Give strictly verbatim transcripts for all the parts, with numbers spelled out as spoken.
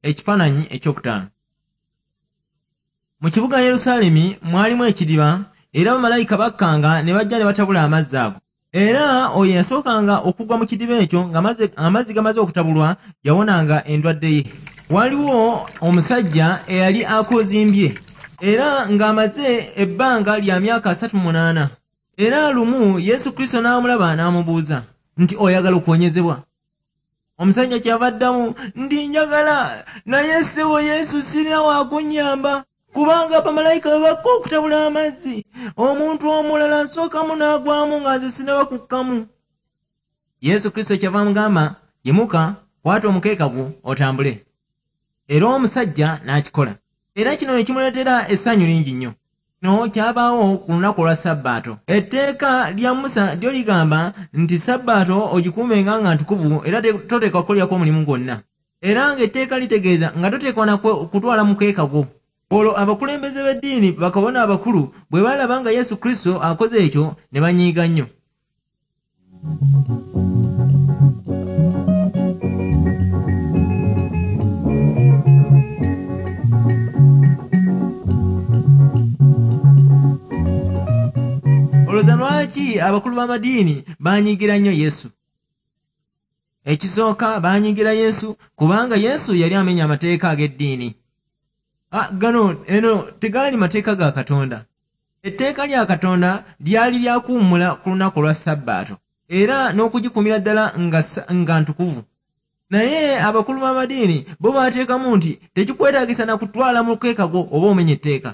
Ekifaananyi ekyokutaano. Mu kibuga Yerusaalemi mwalimu ekidiba, era bamalayika bakkanga ne bajja ne batabula amazzi ago. Era oyo eyasookanga okugwa mu kidiba ekyo ng'amazzi gamaze okutabulwa yawonanga endwadde ye. Waliwo omusajja eyali akozimbye era ng'amaze ebbanga lya myaka asatu mu munaana. Era lumu Yesu Kristo n'amulaba n'amubuuza nti, oyagala okuwonyezebwa? Omusajja kyava addamu nti, njagala, naye ssebo Yesu sirina wa kunnyamba, kubanga bamalayika bwe bakka okutabula amazzi, omuntu omulala asookamu n'agwamu nga nze sinnaba kukkamu. Yesu Kristo kyava amugamba, yimuka, kwata omukeeka gwo otambule. Era omusajja n'akikola. Era kino ne kimuleetera essanyu lingi nnyo. Kino kyabaawo ku lunaku olwa Sabbaato. Etteeka lya Musa lyo ligamba nti Sabbaato ogikuumenga nga ntukuvu era toteekwa kukolerako omulimu gwonna. Era ng'etteeka litegeeza nga toteekwa na kutwala mukeeka gwo. Olwo abakulembeze b'eddiini, bakabona abakulu, bwe baalaba nga Yesu Kristo akoze ekyo ne banyiiga nnyo. Olowooza lwaki abakulu b'amadiini baanyiigira nnyo Yesu? Ekisooka, baanyiigira Yesu kubanga Yesu yali amenya amateeka ag'eddiini. Ah, gano eno tegaali mateeka ga Katonda. Etteeka lya Katonda lyali lya kuwummula ku lunaku olwa Sabbaato era n'okugikuumira ddala nga, nga ntukuvu. Naye abakulu b'amadiini bo baateekamu nti tekikwetaagisa na kutwala mukeeka gwo oba omenya etteeka.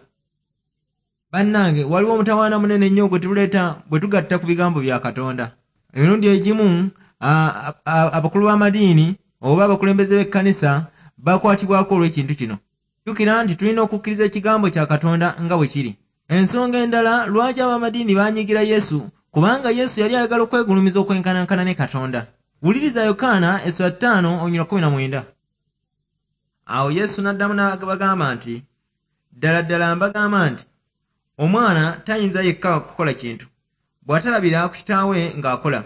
Bannange, waliwo omutawaana munene nnyo gwe tuleeta bwe tugatta ku bigambo bya Katonda. Emirundi egimu abakulu b'amadiini oba abakulembeze b'ekkanisa bakwatibwako olw'ekintu kino. Jjukira nti tulina okukkiriza ekigambo kya Katonda nga bwe kiri. Ensonga endala lwaki ab'amadiini baanyiigira Yesu, kubanga Yesu yali ayagala okwegulumiza okwenkanankana ne Katonda. Wuliriza Yokaana essula ttaano olunyiriri kkumi na mwenda. Awo Yesu n'addamu n'abagamba nti, ddala ddala mbagamba nti, omwana tayinza yekka kukola kintu, bw'atalabira ku kitaawe ng'akola,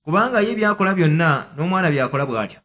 kubanga ye by'akola byonna n'omwana by'akola bw'atyo.